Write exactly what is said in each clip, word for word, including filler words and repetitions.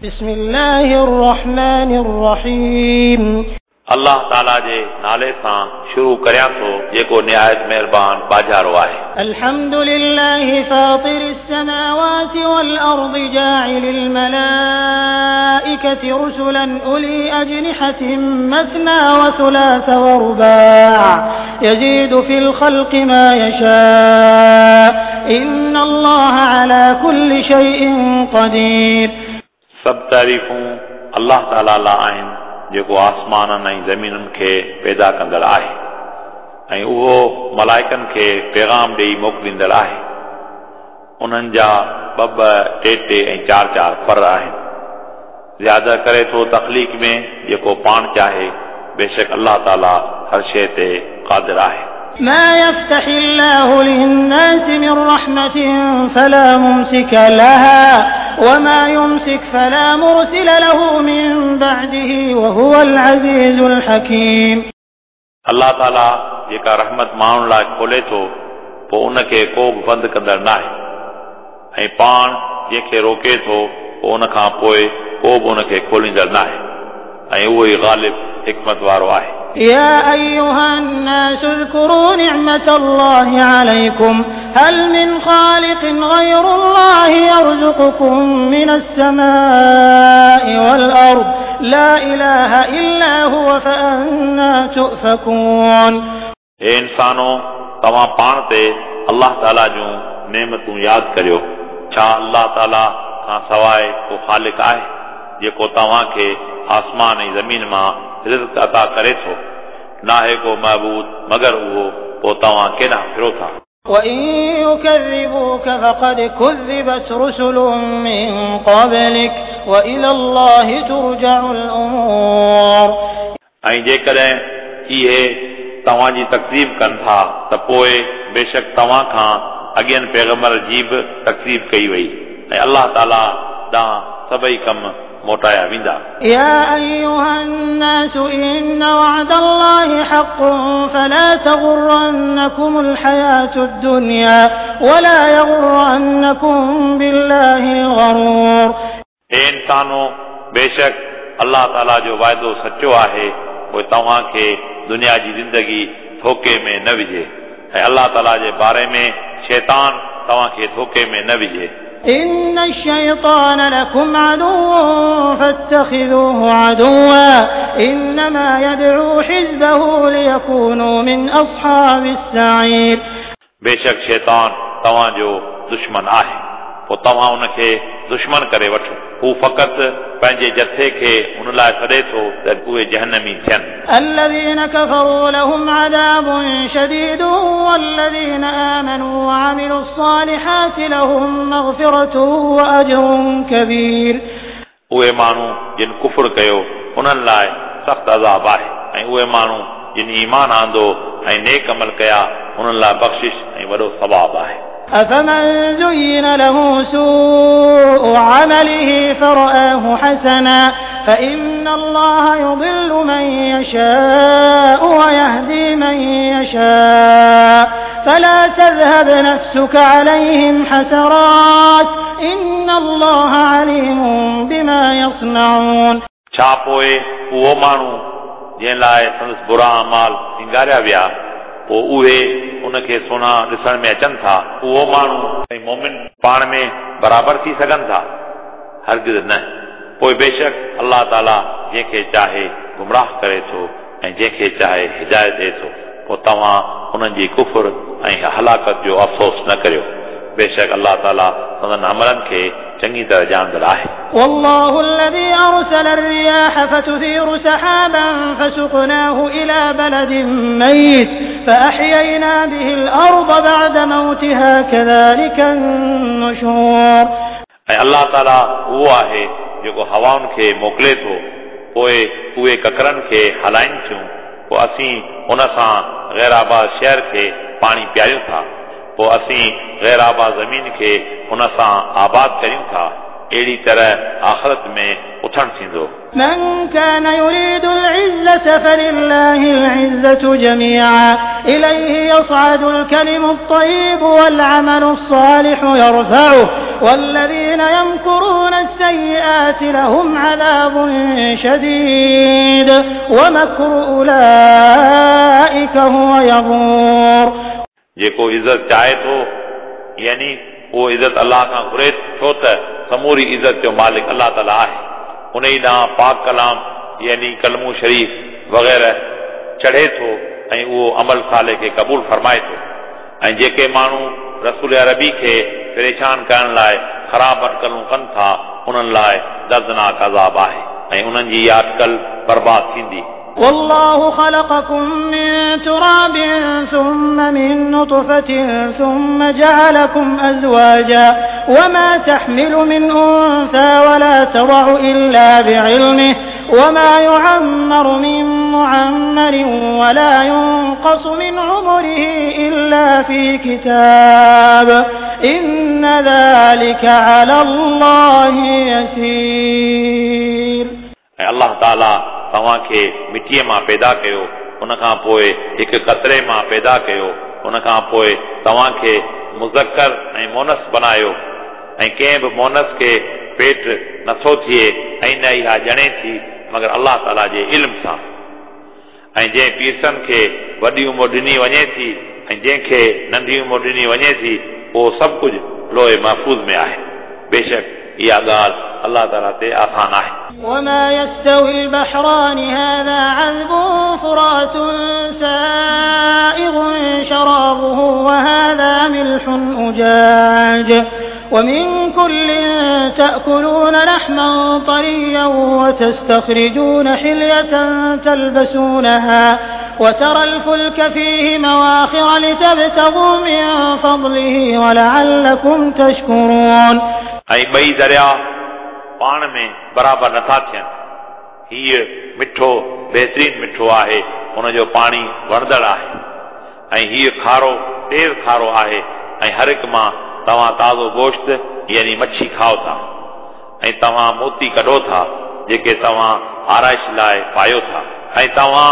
بسم الله الرحمن الرحيم. अल्लाह ताला जे नाले सां शुरू करियां थो जेको निहायत मेहरबान बाजारो आहे। الحمد لله فاطر السماوات والأرض جاعل الملائكة رسلا أولي أجنحة مثنى وثلاث ورباع يزيد في الخلق ما يشاء إن الله على كل شيء قدير. सभु तारीफ़ूं अल्लाह ताला लाइ आहिनि जेको आसमाननि ऐं ज़मीनुनि खे पैदा कंदड़ आहे ऐं उहो मलाइकनि खे पैगाम ॾेई मोकिलींदड़ आहे। उन्हनि जा ॿ ॿ टे टे ऐं चारि चारि पर आहिनि। ज़्यादा करे थो तख़लीक़ में जेको पाण चाहे, बेशक अल्लाह ताला हर शइ ते क़ादिर आहे। ما يفتح الله للناس من رحمة فلا ممسك لها وما يمسك فلا مرسل له من بعده وهو العزيز الحكيم. अल्लाह ताला जेका रहमत माण्हुनि लाइ खोले थो पोइ उनखे को बि बंदि कंदड़ न आहे ऐं पाण जंहिंखे रोके थो पोइ उन खां पोइ को बि उनखे खोलींदड़ न आहे ऐं उहो ई ग़ालिब हिकमत वारो आहे। يا أيها الناس اذكروا نعمة الله عليكم هل من خالق غير الله يرزقكم من السماء والأرض لا إله إلا هو فأنا تؤفكون. हे इंसानो, तव्हां पाण ते अल्लाह ताला जूं नेमतूं यादि करियो। छा अल्लाह ताला खां सवाइ को ख़ालिक आहे जेको तव्हांखे आसमान ऐं ज़मीन मां रिज़्क अता करे थो? नाहे को महबूद मगर उहो, पोइ तव्हां केॾांहुं फिरो था? وإن يكذبوك فقد كذبت رسل من قبلك وإلى الله ترجع الأمور. ऐं जेकॾहिं इहे तव्हांजी तकज़ीब कनि था त पोइ बेशक तव्हां खां अॻियनि पैगम्बर जी बि तकज़ीब कई वई ऐं अल्लाह ताला ॾांहुं सभई कम मोटाया वेंदा। يا أيها الناس إن وعد الله حق فلا تغرنكم الحياة الدنيا ولا يغرنكم بالله الغرور. हे इंसानो, बेशक अल्लाह ताला जो वाइदो सचो आहे, पोइ तव्हांखे दुनिया जी ज़िंदगी धोखे में न विझे ऐं अल्लाह ताला जे बारे में शैतान तव्हांखे धोखे में न विझे। إن الشيطان لكم عدو فاتخذوه عدوا إنما يدعو حزبه ليكونوا من أصحاب السعير. बेशक शैतान तव्हांजो दुश्मन आहे, पोइ तव्हां उनखे दुश्मन करे वठो। हू फ़क़ति पंहिंजे जथे खे उन लाइ सॾे थो त उहे जहन्नमी थियनि। الذين كفروا لهم عذاب شديد والذين آمنوا وعملوا الصالحات لهم مغفرة وأجر كبير. उहे माण्हू जिन कुफुर कयो उन्हनि लाइ सख़्तु अज़ाब आहे ऐं उहे माण्हू जिन ईमान आंदो ऐं नेक अमल कया उन्हनि लाइ बख़्शिश ऐं वॾो सवाब आहे। أفمن زين له سوء عمله فرآه حسنا فإن الله يضل من يشاء ويهدي من يشاء فلا تذهب نفسك عليهم حسرات إن الله عليم بما يصنعون. छा पोइ उहो माण्हू जंहिं लाइ संदसि बुरा अमाल सिंगारिया विया पोइ उहे उनखे सुहिणा ॾिसण में अचनि था, उहो माण्हू ऐं मोमिन पाण में बराबरि थी सघनि था? हरगिज़ न। पोइ बेशक अल्लाह ताला जंहिंखे चाहे गुमराह करे थो ऐं जंहिंखे चाहे हिदायत ॾिए थो। पोइ तव्हां उन्हनि जी कुफुर ऐं हलाकत जो अफ़सोस न करियो, बेशक अल्लाह ताला संदन अमलनि खे चङी तरह ॼाणंदड़ आहे। والله الذي أرسل الرياح فتثير سحابا فسقناه إلى بلد ميت فأحيينا به الأرض بعد موتها كذلك النشور. ऐं अल्लाह ताला उहो आहे जेको हवाउनि खे मोकिले थो, पोइ उहे ककरनि खे हलाइनि थियूं, पोइ असीं उन सां ग़ैराबाद शहर खे पाणी पीआरियूं था, पोइ असीं ग़ैराबाद ज़मीन खे उन सां आबाद करियूं था। अहिड़ी तरह आख़िरत में उथणु थींदो। من كان يريد العزة فلله العزة جميعا إليه يصعد الكلم الطيب والعمل الصالح يرفعه والذين يمكرون السيئات لهم عذاب شديد ومكر أولئك هو يبور। जेको इज़त चाहे थो यानी उहो इज़त अल्लाह खां घुरे छो त समूरी इज़त जो मालिक अल्लाह ताला आहे। उन ई ॾांहुं पाक कलाम यानी कलमो शरीफ वग़ैरह चढ़े थो ऐं उहो अमल साले खे क़बूल फरमाए थो। ऐं जेके माण्हू रसूल अरबी खे परेशान करण लाइ ख़राब अटकलूं कनि था उन्हनि लाइ दर्दनाक अज़ाब आहे ऐं उन्हनि जी इहा अटकल बर्बाद थींदी। والله خلقكم من تراب ثم من نطفة ثم جعلكم أزواجا وما تحمل من أنثى ولا تضع إلا بعلمه وما يعمر من معمر ولا ينقص من عمره إلا في كتاب إن ذلك على الله يسير। الله تعالى तव्हांखे मिटीअ मां पैदा कयो, उन खां पोइ हिकु कतरे मां पैदा कयो, उन खां पोइ तव्हांखे मुज़क्कर ऐं मोनस बनायो ऐं कंहिं बि मोनस खे पेट नथो थिए ऐं न इहा ॼणे थी मगर अल्लाह ताला जे इल्म सां। ऐं जंहिं पीरसन खे वॾी उमिरि ॾिनी वञे थी ऐं जंहिंखे नंढी उमिरि ॾिनी वञे थी उहो सभु कुझु लोहे महफ़ूज़ में आहे। बेशक इहा ॻाल्हि अल्लाह ताला ते आसान आहे। وما يستوي البحران هذا عذب فرات سائغ شرابه وهذا ملح أجاج ومن كل تأكلون لحما طريا وتستخرجون حلية تلبسونها وترى الفلك فيه مواخر لتبتغوا من فضله ولعلكم تشكرون। ऐं ॿई दरिया पाण में बराबरि नथा थियनि। हीअ मिठो बहितरीन मिठो आहे, उनजो पाणी वणंदड़ आहे ऐं हीअ खारो तेज़ खारो आहे ऐं हर हिकु मां तव्हां ताज़ो गोश्त यानी मच्छी खाओ था ऐं तव्हां मोती कढो था जेके तव्हां आराइश लाइ पायो था ऐं तव्हां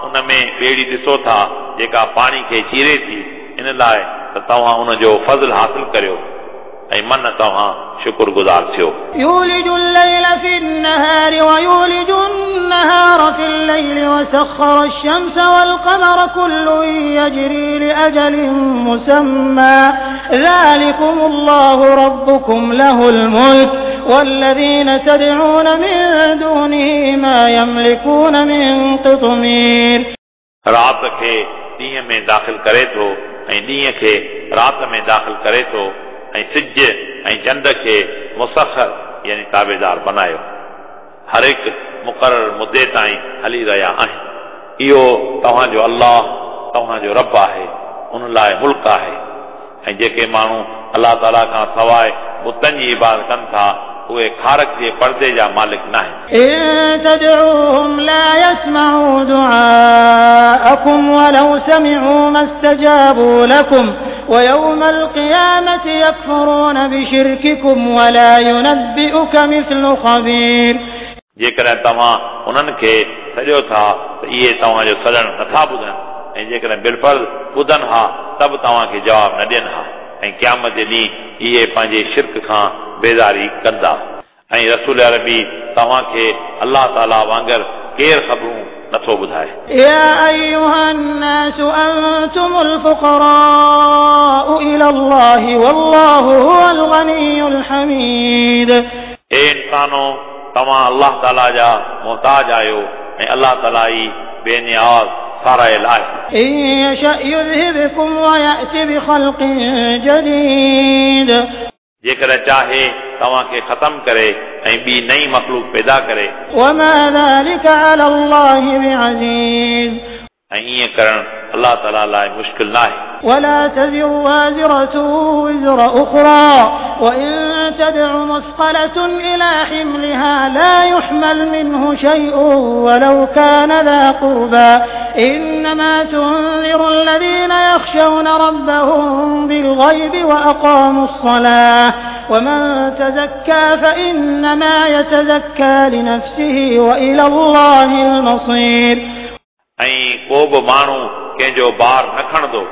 उन में ॿेड़ी ॾिसो था जेका पाणी खे चीरे थी, इन लाइ त तव्हां उनजो फ़ज़ल हासिल करियो ऐं मन तव्हां शुक्रगुज़ार थियो। يولج الليل في النهار ويولج النهار في الليل وسخر الشمس والقمر كل يجري لأجل مسمى ذلكم الله ربكم له الملك والذين تدعون من دونه ما يملكون من قطمير। राति खे ॾींहं में दाख़िल करे थो ऐं ॾींहं खे राति में दाख़िल करे थो ऐं सिज ऐं चंड खे मुसखर यानी ताबेदार बनायो, हर हिकु मुक़ररु मुदे ताईं हली रहिया आहिनि। इहो तव्हांजो अल्लाह तव्हांजो रब आहे, उन लाइ मुल्क आहे। ऐं जेके माण्हू अल्लाह ताला खां सवाइ बुतनि जी इबादत कनि था उहे खारक जे पर्दे जा मालिक न आहिनि। إن تدعوهم لا يسمعوا دعاءكم ولو سمعوا ما استجابوا لكم ويوم القيامة يكفرون بشرككم ولا ينبئك مثل خبير। जेकॾहिं तव्हां उन्हनि खे सॾियो था त इहे तव्हांजो सॾणु नथा ॿुधनि ऐं जेकॾहिं बिलफर्ज़ ॿुधनि हा त बि तव्हांखे जवाबु न ॾियनि हा ऐं क़यामत जे ॾींहुं इहे पंहिंजे शिर्क खां बेज़ारी कंदा। ऐं रसूल अरबी तव्हांखे अल्लाह ताला वांगुरु केरु ख़बरूं नथो ॿुधाए। يا أيها الناس أنتم الفقراء إلى الله والله هو الغني الحميد। ए इंसानो, तव्हां अल्लाह ताला जा मोहताज आहियो ऐं अल्लाह ताला ई बेनियाज़ सारायल आहे। إن يشأ يذهبكم ويأت بخلق جديد। जेकॾहिं चाहे तव्हांखे ख़तमु करे ऐं ॿी नई मख़लूक पैदा करे। وما ذلك على الله بعزيز। ऐं ईअं करणु अल्लाह ताला लाइ मुश्किल न आहे। ولا تزر وازرة وزر أخرى وإن تدع مثقلة إلى حملها لا يحمل منه شيء ولو كان ذا قربى إنما تنذر الذين يخشون ربهم بالغيب وأقاموا الصلاة ومن تزكى فإنما يتزكى لنفسه وإلى الله المصير. ऐं को बि माण्हू कंहिंजो भार न खणंदो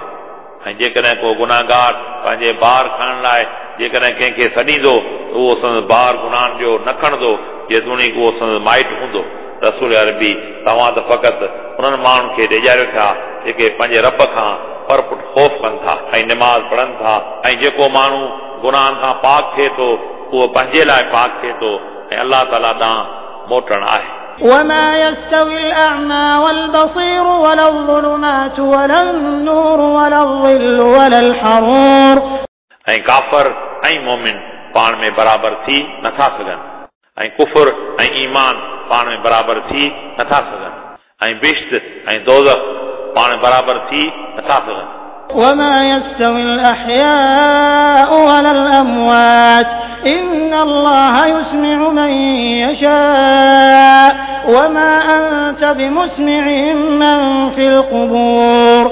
ऐं जेकॾहिं को गुनाहगार पंहिंजे भार खणण लाइ जेकॾहिं कंहिंखे सॾींदो त उहो संदसि भार गुनाहनि जो न खणंदो जेतोणीकि उहो संदसि माइट हूंदो। रसूल अरबी तव्हां त फ़क़ति उन्हनि माण्हुनि खे ॾेजारियो था जेके पंहिंजे रब खां परपुट ख़ौफ़ कनि था ऐं निमाज़ पढ़नि था ऐं जेको माण्हू गुनाहनि खां पाक थिए थो उहो पंहिंजे लाइ पाक थिए थो ऐं अलाह ताला ॾांहुं मोटणु आहे। وما يستوي الأعمى والبصير ولا الظلمات ولا النور ولا الظل ولا الحرور. ऐं काफ़र ऐं मोमिन पाण में बराबरि थी नथा सघनि ऐं कुफर ऐं ईमान पाण में बराबरि थी नथा सघनि ऐं बिश्त ऐं दोज़ख पाण में बराबरि थी नथा सघनि। وما يستوي الأحياء ولا الأموات إن الله يسمع من يشاء وما أنت بمسمع من في القبور.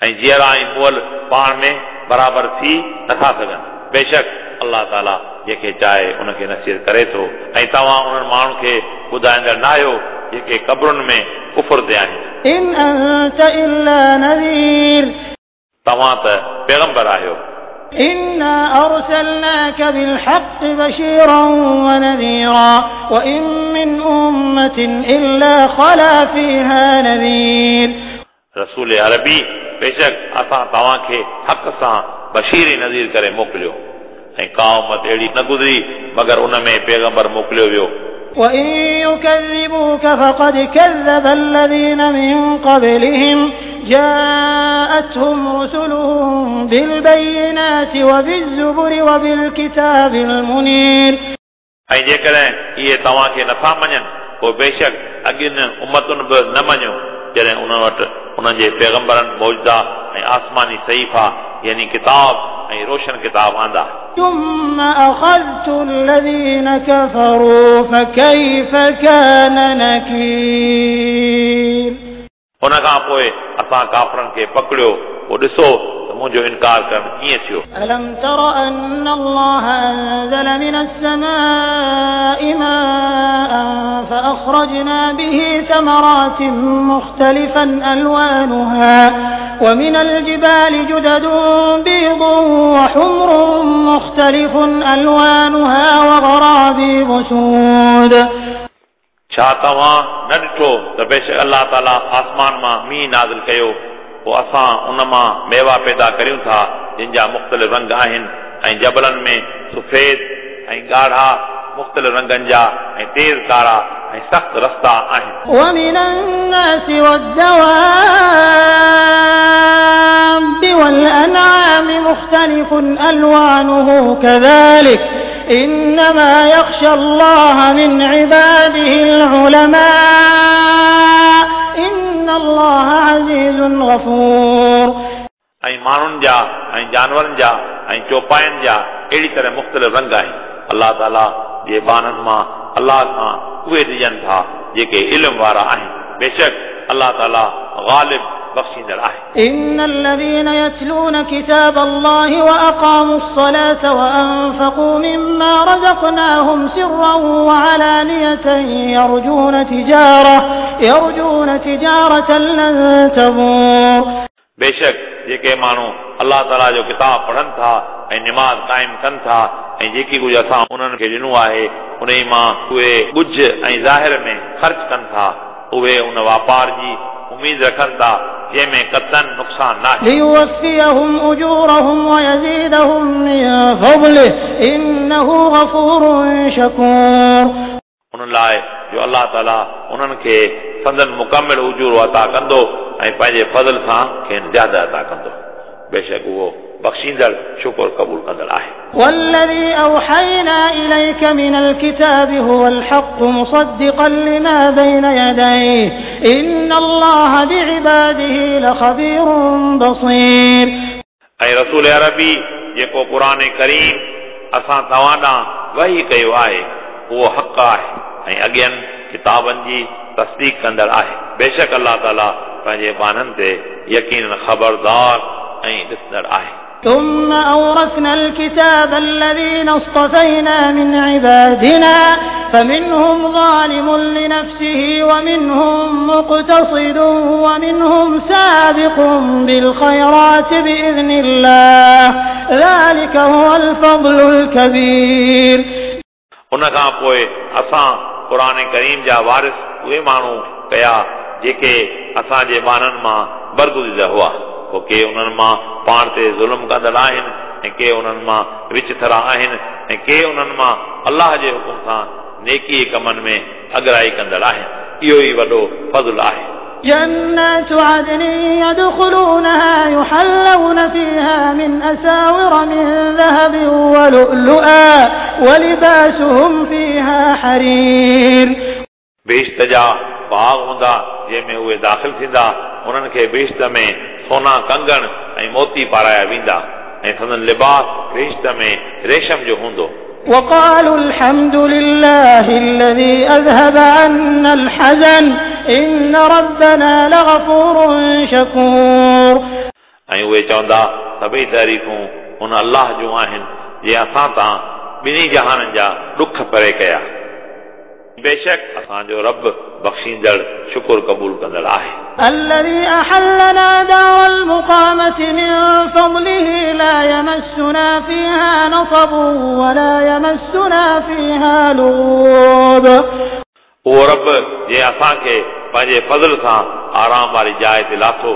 ऐं जीअरा ऐं मुअल पाण में बराबरि थी नथा सघनि। बेशक अलाह ताला जंहिंखे चाहे उनखे नसीहत करे थो ऐं तव्हां उन्हनि माण्हुनि खे ॿुधाईंदड़ न आहियो जेके क़बरुनि में कुफर ते आहिनि। إن أنت إلا نذير. तव्हां त पैगंबर आहियो। إنا أرسلناك بالحق بشيرا ونذيرا وإن من أمة إلا خلا فيها نذير. रसूल अरबी बेशक असां तव्हांखे हक़ सां बशीर नज़ीर करे मोकिलियो ऐं का उम्मत अहिड़ी न गुज़री मगर उन में पैगंबर मोकिलियो वियो। وإن يكذبوك فقد كذب الذين من قبلهم جاءتهم رسلهم بالبينات وبالزبر وبالكتاب المنير. ऐं जेकॾहिं इहे तव्हांखे नथा मञनि पोइ बेशक अॻियनि उम्मतुनि बि न मञियो जॾहिं उन्हनि वटि उन्हनि जे पैगंबरनि मौजदा ऐं आसमानी सहीफ़ा यानी किताब ऐं रोशन किताब आंदा। ثم أخذت الذين كفروا فكيف كان نكير. उन खां पोइ असां काफ़रनि खे पकड़ियो पोइ ॾिसो त मुंहिंजो इनकार करणु कीअं थियो। ألم تر أن الله أنزل من السماء ماء فأخرجنا به ثمرات مختلفا ألوانها ومن الجبال جدد بيض وحمر مختلف ألوانها وغرابيب سود. छा तव्हां न ॾिठो त बेशक अलाह ताला आसमान मां मींहुं नाज़िल कयो पोइ असां उन मां मेवा पैदा करियूं था जिन जा मुख़्तलिफ़ रंग आहिनि ऐं जबलनि में सफ़ेद ऐं ॻाढ़ा मुख़्तलिफ़ रंगनि जा ऐं तेज़ कारा ऐं सख़्त रस्ता आहिनि। ومن الناس والدواب والأنعام مختلف ألوانه كذلك إنما يخشى الله من عباده العلماء إن الله عزيز غفور. ऐं माण्हुनि जा ऐं जानवरनि जा ऐं चौपायनि जा अहिड़ी तरह मुख़्तलिफ़ रंग आहिनि। अलाह ताला जे ॿारनि मां अलाह खां उहे ॾिजनि था जेके इल्म वारा आहिनि। बेशक अलाह ताला ग़ालिब बख़्शींदड़ आहे। إن الذين يتلون كتاب الله وأقاموا الصلاة وأنفقوا مما رزقناهم سرا وعلانية يرجون تجارة يرجون تجارة لن تبور. बेशक जेके माण्हू अलाह ताला जो किताब पढ़नि था ऐं निमाज़ क़ाइम कनि था ऐं जेकी कुझु असां उन्हनि खे ॾिनो आहे उन मां उहे ॻुझ ऐं ज़ाहिर में ख़र्च कनि था उहे उन वापार जी उम्मीद रखनि था जंहिंमें कतन नुक़सान न आहे। ليوفيهم أجورهم ويزيدهم من فضله إنه غفور شكور. उन लाइ जो अलाह ताला उन्हनि खे संदन मुकमिल उजूरो अता कंदो ऐं पंहिंजे फज़ल सां खेनि ज़्यादा अता कंदो। बेशक उहो बख़्शींदड़ शुक्र क़बूल कंदड़ आहे। والذي أوحينا إليك من الكتاب هو الحق مصدقا لما بين يديه إن الله بعباده لخبير بصير. ऐं रसूल अरबी जेको क़ुर करीम असां तव्हां ॾांहुं वही कयो आहे उहो हक़ आहे ऐं अॻियनि किताबनि जी तस्दीक कंदड़ आहे। बेशक अलाह ताला पंहिंजे ॿारनि ते यकीन ख़बरदार ऐं ॾिसंदड़ आहे। ثم أورثنا الكتاب الذين اصطفينا من عبادنا فمنهم ظالم لنفسه ومنهم مقتصد ومنهم سابق بالخيرات بإذن الله ذلك هو الفضل الكبير. उन खां पोइ असां क़ुर करीम जा वारिस उहे माण्हू कया जेके असांजे ॿारनि मां बरगुज़ीदा हुआ। पोइ के उन्हनि मां पाण ते ज़ुल्म कंदड़ आहिनि ऐं के उन्हनि मां विचथरा आहिनि ऐं के उन्हनि मां अलाह जे हुकुम सां नेकी कमनि में अगराई कंदड़ आहिनि। इहो ई वॾो फज़ुल आहे। جنات عدن يدخلونها يحلون فيها من أساور من ذهب ولؤلؤا ولباسهم فيها حرير. बहिश्त जा बाग़ हूंदा जंहिंमें उहे दाख़िल थींदा, उन्हनि खे बहिश्त में सोना कंगण ऐं मोती पाराया वेंदा ऐं संदन लिबास बहिश्त में रेशम जो हूंदो। وقالوا الحمد لله الذي أذهب عنا الحزن إن ربنا لغفور شكور. ऐं उहे चवंदा सभई तारीफ़ूं उन अलाह जूं आहिनि जंहिं असां तां ॿिन्ही जहाननि जा ॾुख परे कया। बेशक असांजो रब बख़्शींदड़ शुक्र क़बूल कंदड़ आहे। الذي أحلنا دار المقامة من فضله لا يمسنا فيها نصب ولا يمسنا فيها لغوب. उहो रब जंहिं असांखे पंहिंजे फज़ल सां आराम वारी जाइ ते लाथो,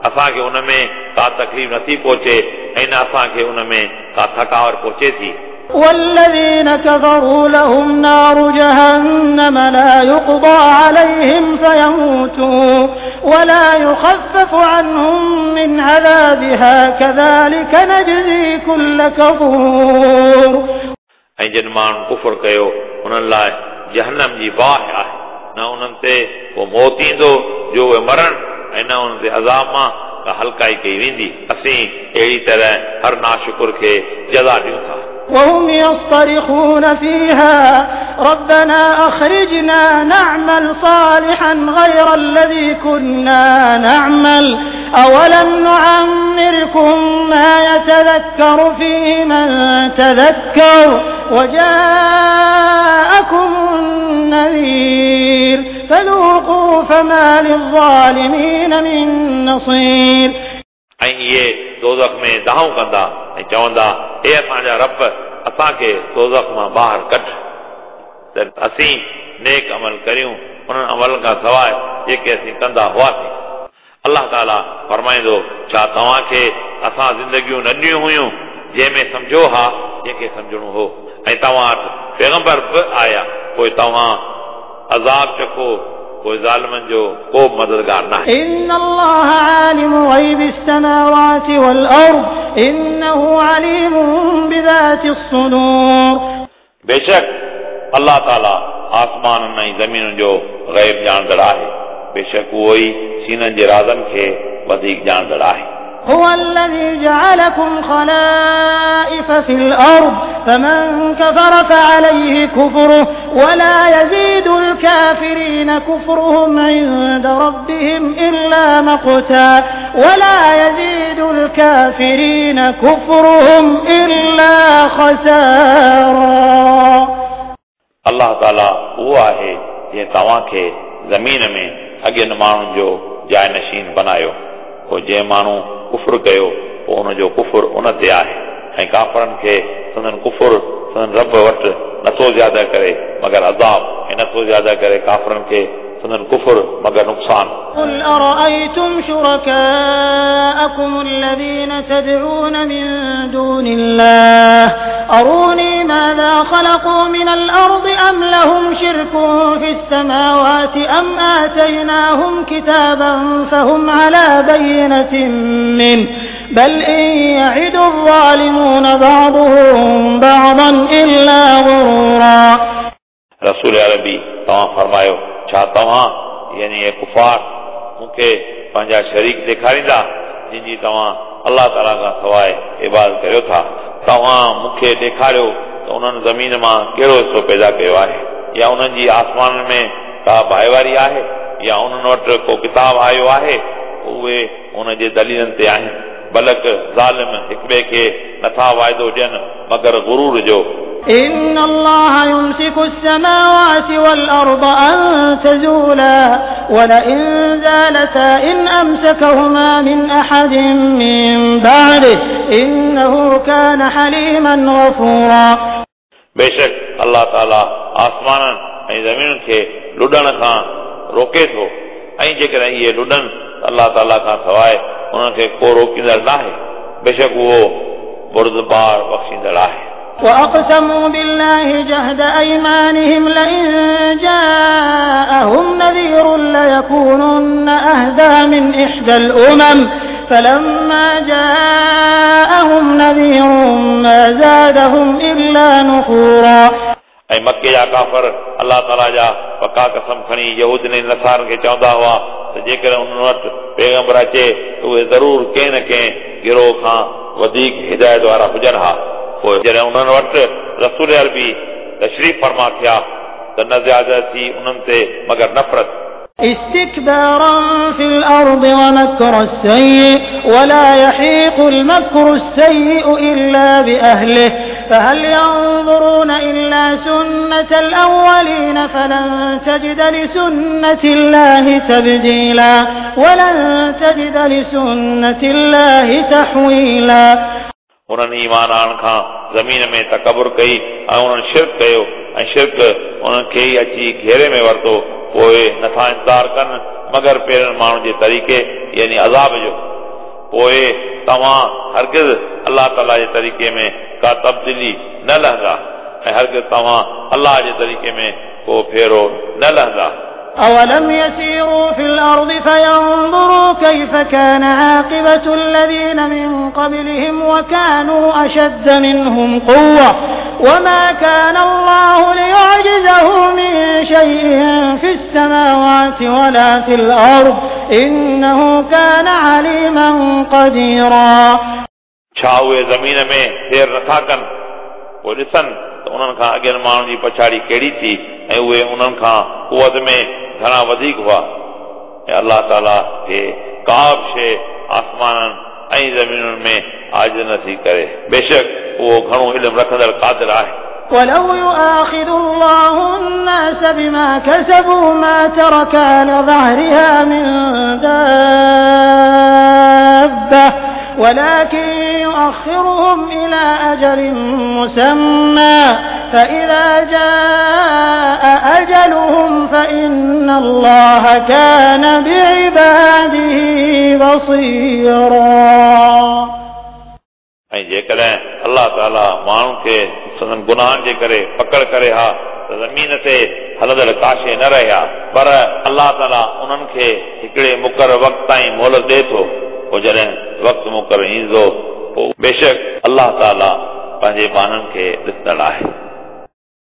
असांखे उन में का तकलीफ़ नथी पहुचे ऐं न असांखे उन में का थकावट पहुचे थी। والذين كفروا لهم نار جهنم لا يقضى عليهم فيموتوا ولا يخفف عنهم من عذابها كذلك نجزي كل كفور. ऐं जिन माण्हुनि कुफर कयो उन्हनि लाइ जहन्नम जी बाहि आहे, न उन्हनि ते को मौत ईंदो जो उहे मरण ऐं न उन्हनि ते अज़ाब मां का हल्काई कई वेंदी। असीं अहिड़ी तरह हर नाशुकुर खे जज़ा ॾियूं था। وهم يصطرخون فيها ربنا أخرجنا نعمل صالحا غير الذي كنا نعمل أولم نعمركم ما يتذكر فيه من تذكر وجاءكم النذير فذوقوا فما للظالمين من نصير. ऐं इहे दोज़ख में दाहूं कंदा ऐं चवंदा हे असांजा रब असांखे दोज़ख मां ॿाहिरि कढ त असीं नेक अमल करियूं उन्हनि अमलनि खां सवाइ जेके असीं कंदा हुआसीं। अलाह ताला फरमाईंदो छा तव्हांखे असां ज़िंदगियूं न ॾिनियूं हुयूं जंहिंमें सम्झो हा जंहिंखे सम्झणो हो ऐं तव्हां वटि पैगंबर बि आया पोइ तव्हां अज़ाब चखो पोइ ज़ालिमनि जो को बि मददगार न आहे। إن الله عالم غيب السماوات والأرض إنه عليم بذات الصدور. बेशक अलाह ताला आसमाननि ऐं ज़मीनुनि जो ग़ैब ॼाणंदड़ आहे, बेशक उहो ई सीननि जे राज़नि खे वधीक ॼाणंदड़ आहे। هو الذي جعلكم خلائف في الأرض فمن كفر فعليه كفره ولا يزيد الكافرين كفرهم عند ربهم إلا مقتا ولا يزيد الكافرين كفرهم إلا خسارا. अलाह ताला उहो आहे जंहिं तव्हांखे ज़मीन में अॻियनि माण्हुनि जो जाइ नशीन बनायो, पोइ जंहिं माण्हू कुफर कयो पोइ उनजो कुफर उन ते आहे ऐं काफ़रनि खे संदन कुफर संदन रब वटि नथो ज़्यादा करे मगर अज़ाब ऐं नथो ज़्यादा करे काफ़रनि खे संदन कुफर मगर नुक़सान। قل أرأيتم شركاءكم الذين تدعون من دون الله أروني ماذا خلقوا من الأرض أم لهم شرك في السماوات أم آتيناهم كتابا فهم على بينة منه بل إن يعد الظالمون بعضهم بعضا إلا غرورا. रसूल अरबी तव्हां फरमायो छा तव्हां यानी इहे कुफार मूंखे पंहिंजा शरीक ॾेखारींदा जिन जी तव्हां अलाह ताला खां सवाइ इबादत करियो था? तव्हां मूंखे ॾेखारियो त उन्हनि ज़मीन मां कहिड़ो हिसो पैदा कयो आहे या उन्हनि जी आसमाननि में का भाईवारी आहे या उन्हनि वटि को किताब आयो आहे उहे उन जे दलीलनि ते आहिनि। बलक ज़ालिम हिक ॿिए खे नथा वाइदो ॾियनि मगर गुरूर जो। إن الله يمسك السماوات والأرض أن تزولا ولئن زالتا إن أمسكهما من أحد من بعده إنه كان حليما غفورا। बेशक अल्लाह ताला आसमाननि ऐं ज़मीनुनि खे लुॾण खां रोके थो ऐं जेकॾहिं इहे लुॾनि त अल्लाह ताला खां सवाइ उन्हनि खे को रोकींदड़ नाहे, बेशक उहो बुर्दबार बख़्शींदड़ आहे। وأقسموا بالله جهد أيمانهم لئن جاءهم نذير ليكونن أهدى من إحدى الأمم فلما جاءهم نذير ما زادهم إلا نفورا। ऐं मक्के जा काफ़र अल्लाह ताला जा पका कसम खणी यहूदियुनि ऐं नसारनि खे चवंदा हुआ त जेकॾहिं उन्हनि वटि पैगंबर अचे त उहे ज़रूरु कंहिं न कंहिं गिरोह खां वधीक हिदायत वारा हुजनि हा। पोइ जॾहिं उन्हनि वटि रसूल अरबी तशरीफ़ फरमा थिया त न ज़्यादा थी उन्हनि ते मगर नफ़रत। استكبارا في الأرض ومكر السيء ولا يحيق المكر السيء إلا بأهله فهل ينظرون إلا سنة الأولين فلن تجد لسنة الله تبديلا ولن تجد لسنة الله تحويلا। उन्हनि ईमान आणण खां ज़मीन में तकबुर कई ऐं उन्हनि शिर्क कयो ऐं शिर्क उन्हनि खे ई अची घेरे में वरितो, पोइ नथा इंतज़ार कनि मगर पहिरियनि माण्हुनि जे तरीक़े यानी अज़ाब जो। पोइ तव्हां हरगिज़ अल्लाह ताला जे तरीक़े में का तब्दीली न लहंदा ऐं हरगिज़ तव्हां अल्लाह जे तरीक़े में को फेरो न लहंदा। أولم يسيروا في الأرض فينظروا كيف كان عاقبة الذين من قبلهم وكانوا أشد منهم قوة وما كان الله ليعجزه من شيء في السماوات ولا في الأرض إنه كان عليما قديرا। छा उहे ज़मीन में फेर नथा कनि पोइ ॾिसनि त उन्हनि खां अॻियनि माण्हुनि जी पछाड़ी कहिड़ी थी ऐं उहे उन्हनि खां कुवत में घणा वधीक हुआ। ऐं अल्लाह ताला खे का बि शइ आसमाननि ऐं ज़मीनुनि में आजिज़ नथी करे, बेशक उहो घणो इल्मु रखंदड़ क़ादिर आहे। ولو يؤاخذ الله الناس بما كسبوا ما ترك على ظهرها من دابة ولكن يؤخرهم إلى أجل مسمى فإذا جاء أجلهم فإن الله كان بعباده بصيرا। ऐं जेकॾहिं अल्लाह ताला माण्हुनि खे संदन गुनाहनि जे करे पकड़ करे हा त ज़मीन ते हलंदड़ का शइ न रहे हा, पर अल्लाह ताला उन्हनि खे हिकिड़े मुक़ररु वक़्त ताईं मोहलत ॾिए थो, पोइ जॾहिं वक़्तु मुक़ररु ईंदो पोइ बेशक अल्लाह ताला पंहिंजे ॿारनि खे ॾिसंदड़ आहे।